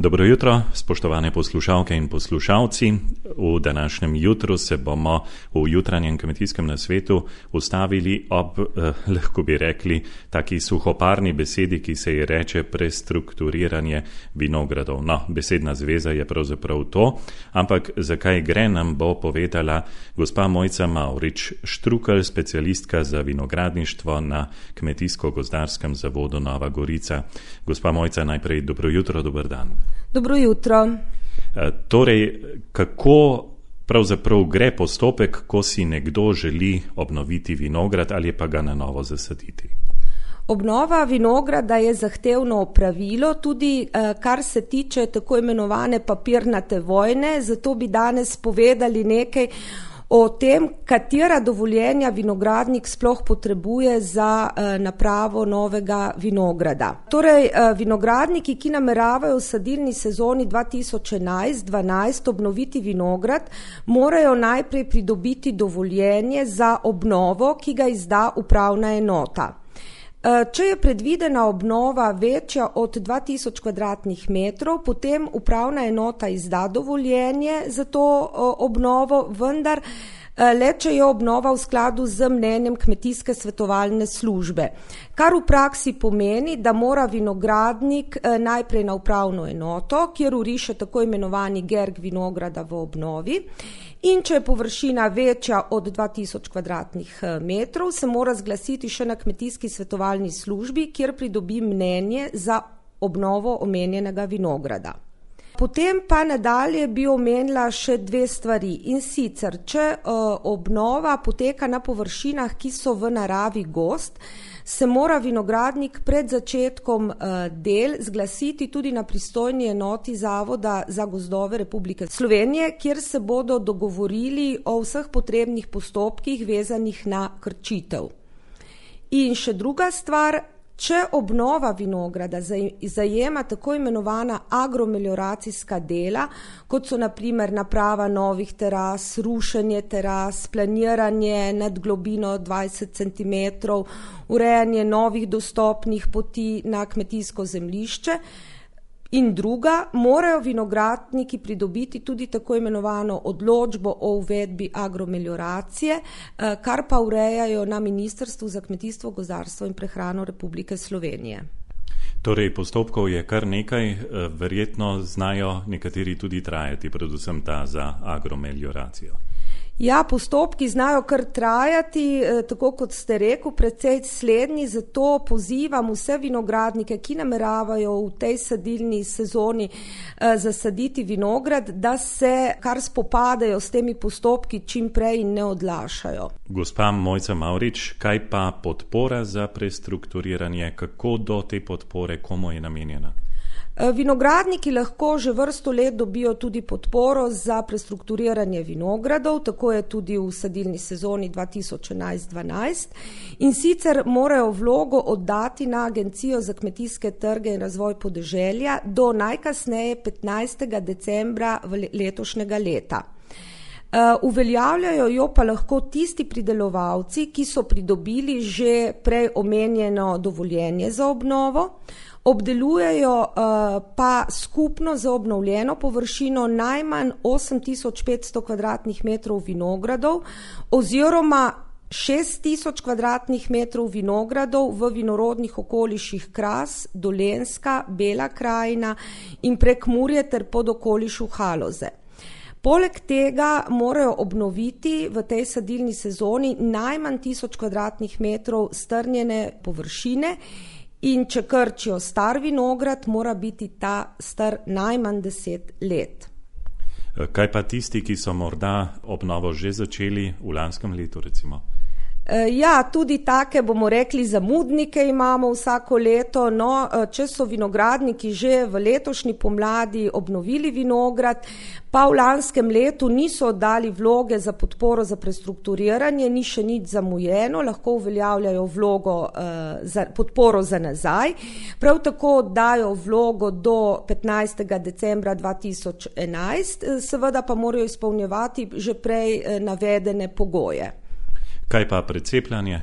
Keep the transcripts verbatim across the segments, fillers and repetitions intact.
Dobro jutro, spoštovane poslušalke in poslušalci. V današnjem jutru se bomo v jutranjem kmetijskem nasvetu ustavili ob, eh, lahko bi rekli, taki suhoparni besedi, ki se ji reče prestrukturiranje vinogradov. No, besedna zveza je pravzaprav to, ampak zakaj gre, nam bo povedala gospa Mojca Mavrič Štrukelj, specialistka za vinogradništvo na Kmetijsko-gozdarskem zavodu Nova Gorica. Gospa Mojca, najprej dobro jutro, dober dan. Dobro jutro. Torej, kako pravzaprav gre postopek, ko si nekdo želi obnoviti vinograd ali pa ga na novo zasaditi? Obnova vinograda je zahtevno opravilo, tudi kar se tiče tako imenovane papirnate vojne, zato bi danes povedali nekaj o tem, katera dovoljenja vinogradnik sploh potrebuje za uh, napravo novega vinograda. Torej, uh, vinogradniki, ki nameravajo v sadilni sezoni dva tisoč enajst dvanajst obnoviti vinograd, morajo najprej pridobiti dovoljenje za obnovo, ki ga izda upravna enota. Če je predvidena obnova večja od dva tisoč kvadratnih metrov, potem upravna enota izda dovoljenje za to obnovo, vendar le če je obnova v skladu z mnenjem kmetijske svetovalne službe. Kar v praksi pomeni, da mora vinogradnik najprej na upravno enoto, kjer uriše tako imenovani gerg vinograda v obnovi, in če je površina večja od dva tisoč kvadratnih metrov, se mora zglasiti še na kmetijski svetovalni službi, kjer pridobi mnenje za obnovo omenjenega vinograda. Potem pa nadalje bi omenila še dve stvari, in sicer, če uh, obnova poteka na površinah, ki so v naravi gozd, se mora vinogradnik pred začetkom uh, del zglasiti tudi na pristojni enoti Zavoda za gozdove Republike Slovenije, kjer se bodo dogovorili o vseh potrebnih postopkih vezanih na krčitev. In še druga stvar, če obnova vinograda zajema tako imenovana agromelioracijska dela, kot so na primer naprava novih teras, rušenje teras, planiranje nad globino dvajset centimetrov, urejanje novih dostopnih poti na kmetijsko zemljišče, in druga, morajo vinogradniki pridobiti tudi tako imenovano odločbo o uvedbi agromelioracije, kar pa urejajo na Ministrstvu za kmetijstvo, gozdarstvo in prehrano Republike Slovenije. Torej, postopkov je kar nekaj, verjetno znajo nekateri tudi trajati, predvsem ta za agromelioracijo. Ja, postopki znajo kar trajati, tako kot ste rekel, precej slednji, zato pozivam vse vinogradnike, ki nameravajo v tej sadilni sezoni zasaditi vinograd, da se kar spopadajo s temi postopki čim prej in ne odlašajo. Gospa Mojca Mavrič, kaj pa podpora za prestrukturiranje, kako do te podpore, komu je namenjena? Vinogradniki lahko že vrsto let dobijo tudi podporo za prestrukturiranje vinogradov, tako je tudi v sadilni sezoni dva tisoč enajst dvanajst, in sicer morajo vlogo oddati na Agencijo za kmetijske trge in razvoj podeželja do najkasneje petnajstega decembra letošnjega leta. Uveljavljajo jo pa lahko tisti pridelovalci, ki so pridobili že prej omenjeno dovoljenje za obnovo, obdelujejo uh, pa skupno za obnovljeno površino najmanj osem tisoč petsto kvadratnih metrov vinogradov oziroma šest tisoč kvadratnih metrov vinogradov v vinorodnih okoliših Kras, Dolenjska, Bela krajina in Prekmurje ter pod okolišu Haloze. Poleg tega morajo obnoviti v tej sadilni sezoni najmanj tisoč kvadratnih metrov strnjene površine, in če krčijo star vinograd, mora biti ta star najmanj deset let. Kaj pa tisti, ki so morda obnovo že začeli v lanskem letu, recimo? Ja, tudi take, bomo rekli, zamudnike imamo vsako leto, no, če so vinogradniki že v letošnji pomladi obnovili vinograd, pa v lanskem letu niso dali vloge za podporo za prestrukturiranje, ni še nič zamujeno, lahko uveljavljajo vlogo uh, za podporo za nazaj. Prav tako dajo vlogo do petnajstega decembra dva tisoč enajst, seveda pa morajo izpolnjevati že prej navedene pogoje. Kaj pa precepljanje?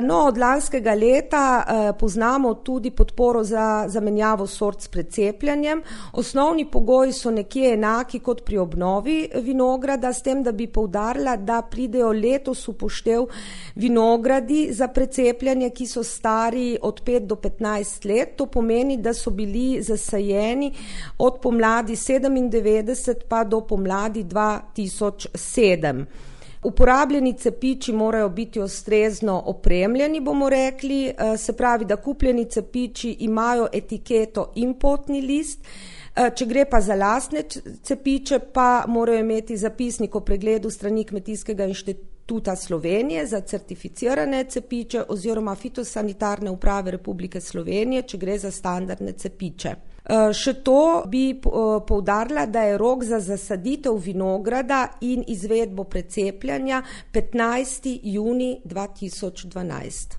No, od lanskega leta poznamo tudi podporo za zamenjavo sort s precepljanjem. Osnovni pogoji so nekje enaki kot pri obnovi vinograda, s tem, da bi poudarila, da pridejo letos v poštev vinogradi za precepljanje, ki so stari od pet do petnajst let. To pomeni, da so bili zasajeni od pomladi sedemindevetdeset pa do pomladi dva tisoč sedem. Uporabljeni cepiči morajo biti ustrezno opremljeni, bomo rekli, se pravi, da kupljeni cepiči imajo etiketo in potni list. Če gre pa za lastne cepiče, pa morajo imeti zapisnik o pregledu strani Kmetijskega inštituta Slovenije za certificirane cepiče oziroma fitosanitarne uprave Republike Slovenije, če gre za standardne cepiče. Še to bi poudarila, da je rok za zasaditev vinograda in izvedbo precepljanja petnajsti junij dva tisoč dvanajst.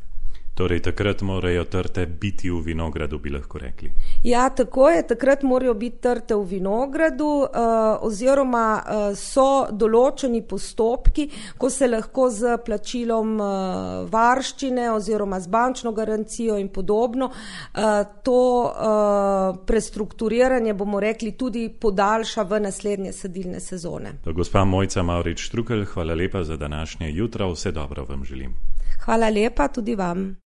Torej, takrat morajo trte biti v vinogradu, bi lahko rekli. Ja, tako je, takrat morajo biti trte v vinogradu oziroma so določeni postopki, ko se lahko z plačilom varščine oziroma z bančno garancijo in podobno to prestrukturiranje, bomo rekli, tudi podaljša v naslednje sadilne sezone. Gospa Mojca Mavrič Štrukelj, hvala lepa za današnje jutro, vse dobro vam želim. Hvala lepa tudi vam.